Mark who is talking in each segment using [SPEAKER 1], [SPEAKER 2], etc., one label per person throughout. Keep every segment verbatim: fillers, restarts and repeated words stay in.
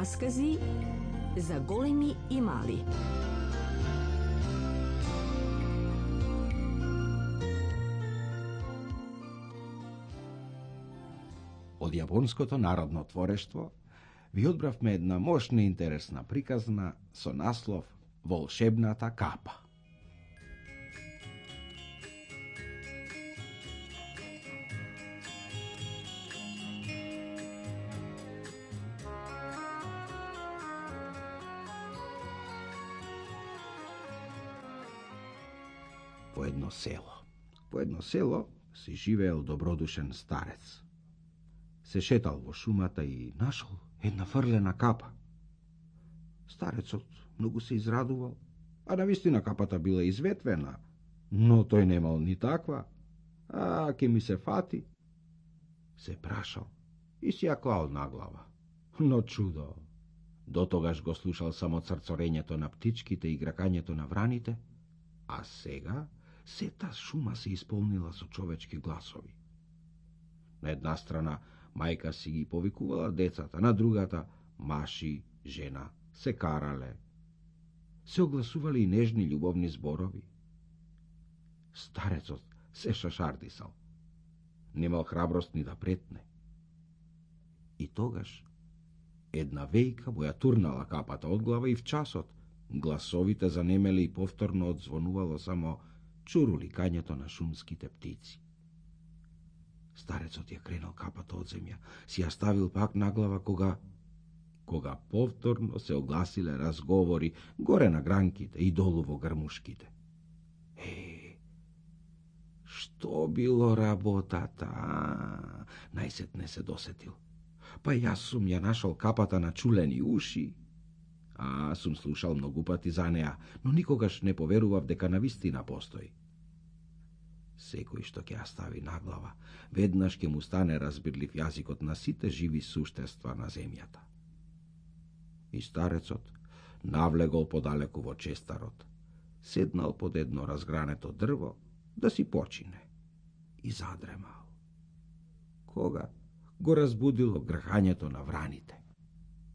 [SPEAKER 1] Раскази за големи и мали.
[SPEAKER 2] Од јапонското народно творештво ви одбравме една мощна и интересна приказна со наслов Волшебната капа. По едно село. По едно село си живеел добродушен старец. Се шетал во шумата и нашол една фрлена капа. Старецот многу се израдувал, а навистина капата била изветвена, но тој немал ни таква. А, ке ми се фати. Се прашал и си ја клал на глава. Но чудо, до тогаш го слушал само црцорењето на птичките и гракањето на враните, а сега сета шума се исполнила со човечки гласови. На една страна мајка си ги повикувала децата, на другата маши, жена, се карале. Се огласували и нежни љубовни зборови. Старецот се шашардисал. Немал храброст ни да претне. И тогаш една вејка му ја турнала капата од глава и в часот гласовите занемели и повторно одзвонувало само чуруликањето на шумските птици. Старецот ја кренал капата од земја, си ја ставил пак на глава кога кога повторно се огласиле разговори горе на гранките и долу во грмушките. Е, што било работата? А, најсетне се досетил. Па јас сум ја нашол капата на чулени уши. А, сум слушал многу пати за неа, но никогаш не поверував дека навистина постои. Секој што ќе ја стави на глава, веднаш ќе му стане разбирлив јазикот на сите живи суштества на земјата. И старецот навлегол подалеку во честарот, седнал под едно разгрането дрво да си почине и задремал. Кога го разбудило грхањето на враните.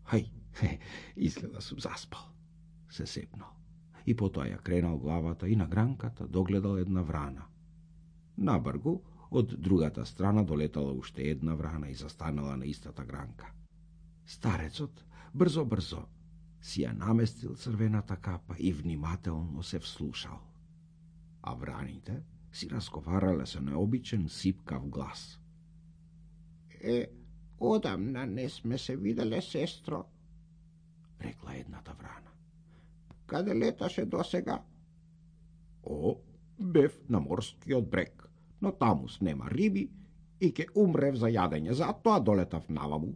[SPEAKER 2] Хај, хе, изгледа сум заспал, се сепнал. И потоа ја кренал главата и на гранката догледал една врана. Набргу, од другата страна долетала уште една врана и застанала на истата гранка. Старецот брзо-брзо си ја наместил црвената капа и внимателно се вслушал. А враните си разговарале со необичен сипкав глас.
[SPEAKER 3] Е, одамна не сме се виделе, сестро,
[SPEAKER 2] рекла едната врана.
[SPEAKER 3] Каде леташе досега?
[SPEAKER 2] О, бев на морскиот брег, но тамус нема риби и ке умрев за јадење, затоа долетав наваму,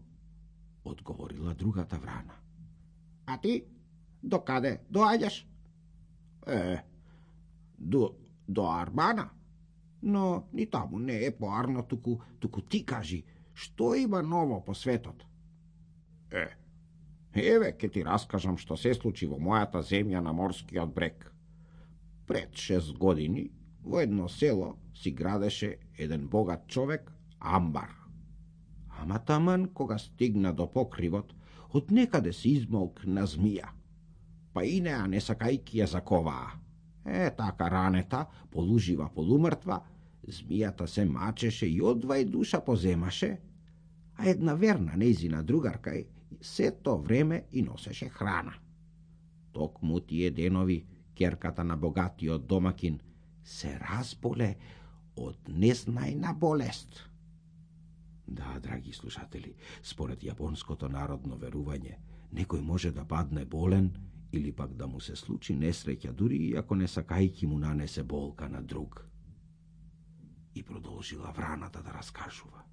[SPEAKER 2] одговорила другата врана.
[SPEAKER 3] А ти, до каде доаѓаш?
[SPEAKER 2] Е, до, до Армана, но ни таму не е поарно, туку, туку ти кажи, што има ново по светот?
[SPEAKER 3] Е, еве ке ти раскажам што се случи во мојата земја на морскиот брег. Пред шест години во едно село си градеше еден богат човек амбар. Ама таман кога стигна до покривот, од некаде се измолкна змија. Па и неа не сакајки ја заковаа. Е, така ранета, полужива, полумртва, змијата се мачеше и одвај душа поземаше, а една верна нејзина другарка сето време и носеше храна. Токму тие денови керката на богатиот домакин се разболе од незнајна болест.
[SPEAKER 2] Да, драги слушатели, според јапонското народно верување, некој може да падне болен или пак да му се случи несреќа, дури и ако не сакајки му нанесе болка на друг. И продолжила враната да раскажува.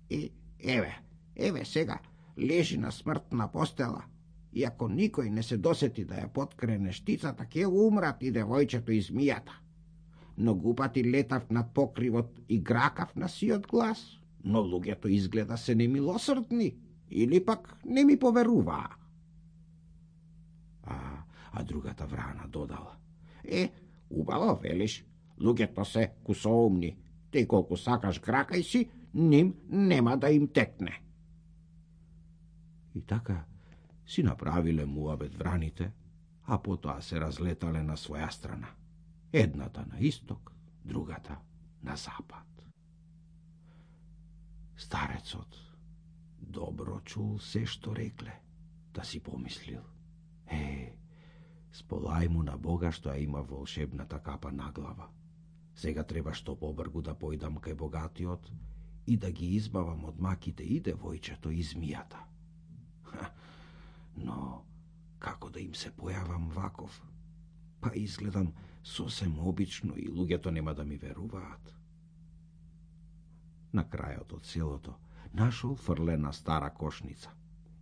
[SPEAKER 3] И еве, еве сега, лежи на смртна постела, и ако никој не се досети да ја подкрене штицата, ќе умрат и девојчето и змијата. Многу пати летав над покривот и гракав на сиот глас, но луѓето изгледа се немилосрдни, или пак не ми поверуваа.
[SPEAKER 2] А, а другата врана додала.
[SPEAKER 3] Е, убаво велиш, луѓето се кусоумни, те колку сакаш гракај си, ним нема да им текне.
[SPEAKER 2] И така, Си направиле муабет враните, а потоа се разлетале на своја страна. Едната на исток, другата на запад. Старецот добро чул се што рекле, да си помислил. Е, сполај му на Бога што ја има волшебната капа на глава. Сега треба што побргу да појдам кај богатиот и да ги избавам од маките и девојчето и змијата. Ха, но како да им се појавам ваков? Па изгледам сосем обично и луѓето нема да ми веруваат. На крајот од селото нашол фрлена стара кошница.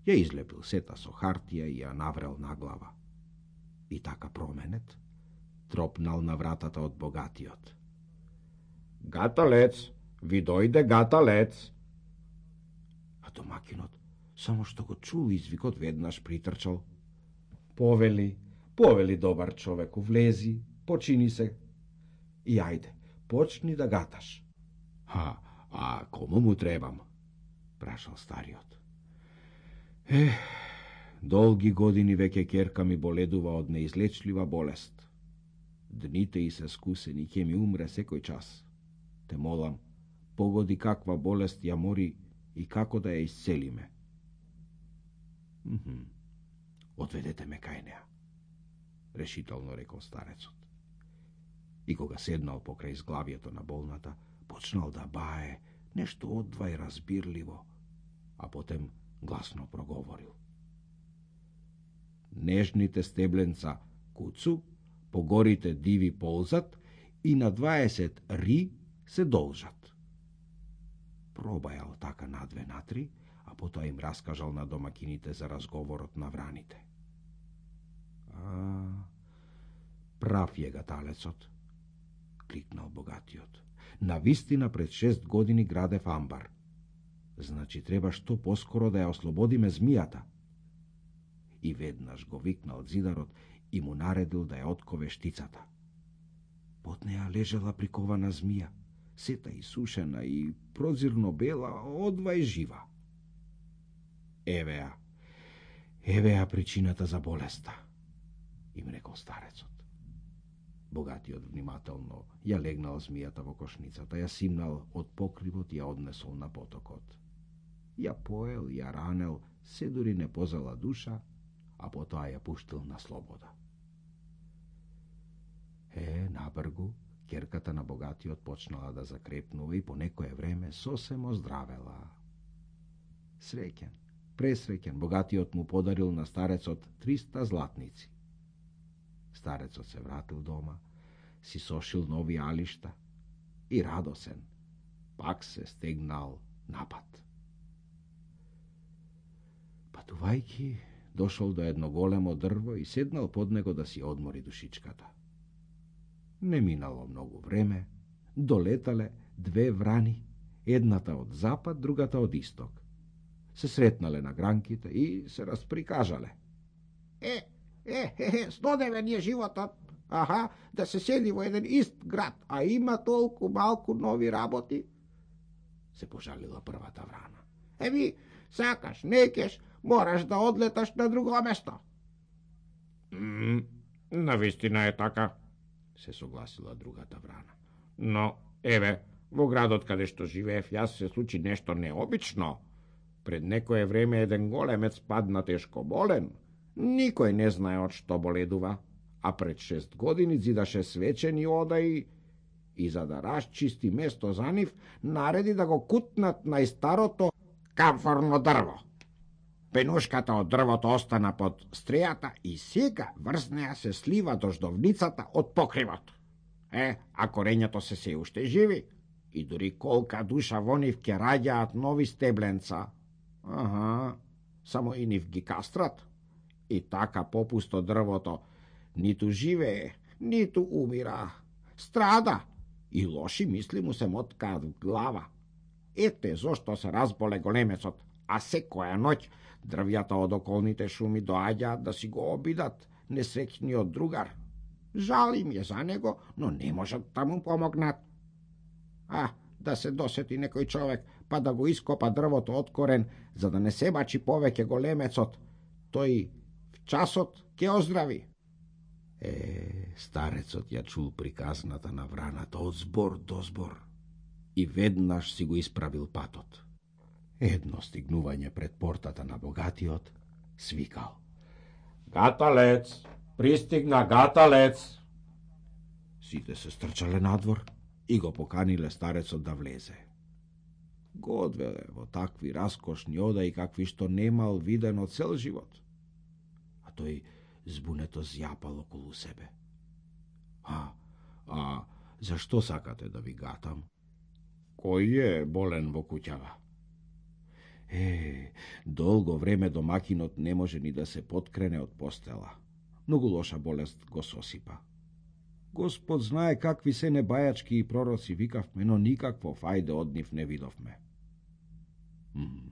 [SPEAKER 2] Ја излепил сета со хартија и ја наврел на глава. И така променет тропнал на вратата од богатиот.
[SPEAKER 3] Гаталец, ви дојде гаталец.
[SPEAKER 2] А домакинот, само што го чул извикот, веднаш притрчал. Повели, повели добар човеку, влези, почини се и ајде, почни да гаташ.
[SPEAKER 3] А, а кому му требам?
[SPEAKER 2] Прашал стариот. Ех, долги години веќе керка ми боледува од неизлечлива болест. Дните и се скусени, ќе ми умре секој час. Те молам, погоди каква болест ја мори и како да ја исцелиме. Мхм. Одведете ме кај неа, решително рекол старецот. И кога седнал покрај изглавието на болната, почнал да бае нешто одвај разбирливо, а потем гласно проговорил. Нежните стебленца куцу, по горите диви ползат и на дваесет ри се должат. Пробајал така на две натри, а потоа им раскажал на домакините за разговорот на враните. А, прав е гаталецот, кликнал богатиот. Навистина пред шест години градев амбар. Значи треба што поскоро да ја ослободиме змијата. И веднаш го викнал зидарот и му наредил да ја откове штицата. Под неа лежала прикована змија, сета исушена и прозирно бела, одвај жива. Евеа, евеа причината за болеста, им рекол старецот. Богатиот внимателно ја легнал змијата во кошницата, ја симнал од покривот и ја однесол на потокот. Ја поел, ја ранел, се дури не позала душа, а потоа ја пуштил на слобода. Е, набргу, керката на богатиот почнала да закрепнува и по некое време сосем оздравела. Среќен, пресреќен, богатиот му подарил на старецот триста златници. Старецот се вратил дома, си сошил нови алишта и радосен, пак се стегнал напад. Патувајки, дошол до едно големо дрво и седнал под него да си одмори душичката. Не минало многу време, долетале две врани, едната од запад, другата од исток. Се сретнале на гранките и се расприкажале.
[SPEAKER 3] Е, е, е, е, снодевен е животот. Аха, да се седи во еден ист град, а има толку малку нови работи.
[SPEAKER 2] Се пожалила првата врана.
[SPEAKER 3] Еби, сакаш, некеш, мораш да одлеташ на друго место.
[SPEAKER 2] Mm, навистина е така, се согласила другата врана.
[SPEAKER 3] Но, еве, во градот каде што живеев јас се случи нешто необично. Пред некое време еден големец падна тешко болен. Никој не знае од што боледува, а пред шест години зидаше свечени ода и, и за да расчисти место за нив, нареди да го кутнат најстарото камфорно дрво. Пенушката од дрвото остана под стрејата и сега врз неа се слива дождовницата од покривот. Е, а корењето се се уште живи и дури колка душа во нив ќе раѓаат нови стебленца. Аха, само и нив ги кастрат. И така попусто дрвото ниту живее, ниту умира. Страда и лоши мисли му се моткаат в глава. Ете зошто се разболе големецот, а секоја ноќ дрвјата од околните шуми доаѓаат да си го обидат несреќниот другар. Жал им е за него, но не можат да му помогнат. А, да се досети некој човек, па да го ископа дрвото од корен, за да не се бачи повеќе големецот, тој в часот ќе оздрави.
[SPEAKER 2] Е, старецот ја чул приказната на враната од збор до збор и веднаш си го исправил патот. Едно стигнување пред портата на богатиот свикал:
[SPEAKER 3] Гаталец, пристигна гаталец.
[SPEAKER 2] Сите се стрчале надвор и го поканиле старецот да влезе. Го одвеле во такви раскошни одаи какви што немал видено цел живот. А тој збунето зјапал околу себе. А, а, зашто сакате да ви гатам?
[SPEAKER 3] Кој е болен во куќава?
[SPEAKER 2] Е, долго време домакинот не може ни да се поткрене од постела. Многу лоша болест го сосипа. Господ знае какви се небајачки и пророци викавме, но никакво фајде од нив не видовме. М,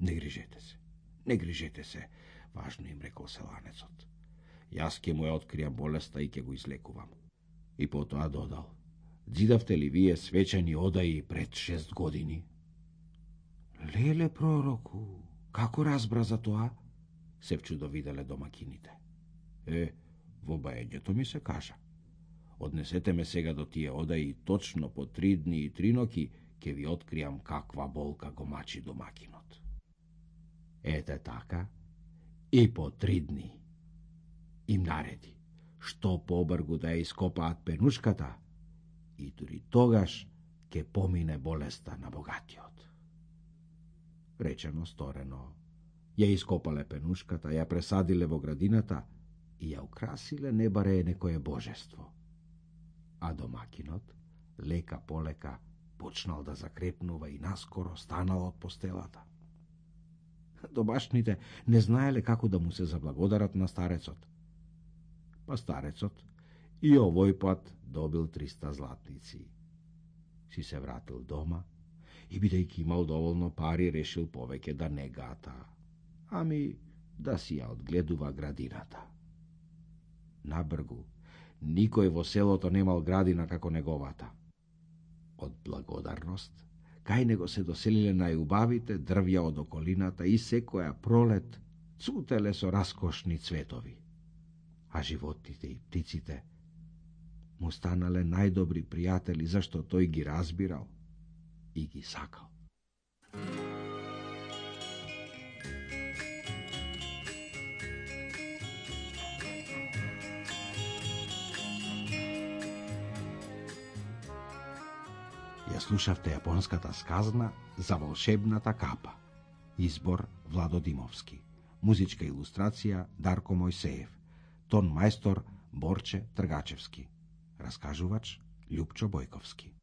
[SPEAKER 2] не грижете се, не грижете се, важно им рекол селанецот. Јас ке му ја откријам болеста и ке го излекувам. И потоа додал: Дзидавте ли вие свечени одаи пред шест години? Леле, пророку, како разбра за тоа? Се вчудовиделе домакините. Е, во баењето ми се кажа: Однесете ме сега до тие одаи, точно по три дни и три ноки ќе ви откријам каква болка го мачи домакинот. Ете така, и по три дни. Им нареди, што побргу да ја ископаат пенушката, и дури тогаш ќе помине болеста на богатиот. Речено сторено, ја ископале пенушката, ја пресадиле во градината и ја украсиле не баре некое божество. А домакинот, лека полека, почнал да закрепнува и наскоро станал од постелата. Домашните не знаеле како да му се заблагодарат на старецот. Па старецот и овој пат добил триста златници. Си се вратил дома и, бидејќи имал доволно пари, решил повеќе да не гата, ами да си ја одгледува градината. Набргу, никој во селото немал градина како неговата. Од благодарност, кај него се доселиле најубавите дрвја од околината и секоја пролет цутеле со раскошни цветови. А животните и птиците му станале најдобри пријатели, зашто тој ги разбирал и ги сакал. Ја слушавте јапонската сказна за волшебната капа. Избор Владо Димовски. Музичка илустрација Дарко Мојсеев. Тон мајстор Борче Тргачевски. Раскажувач Љупчо Бојковски.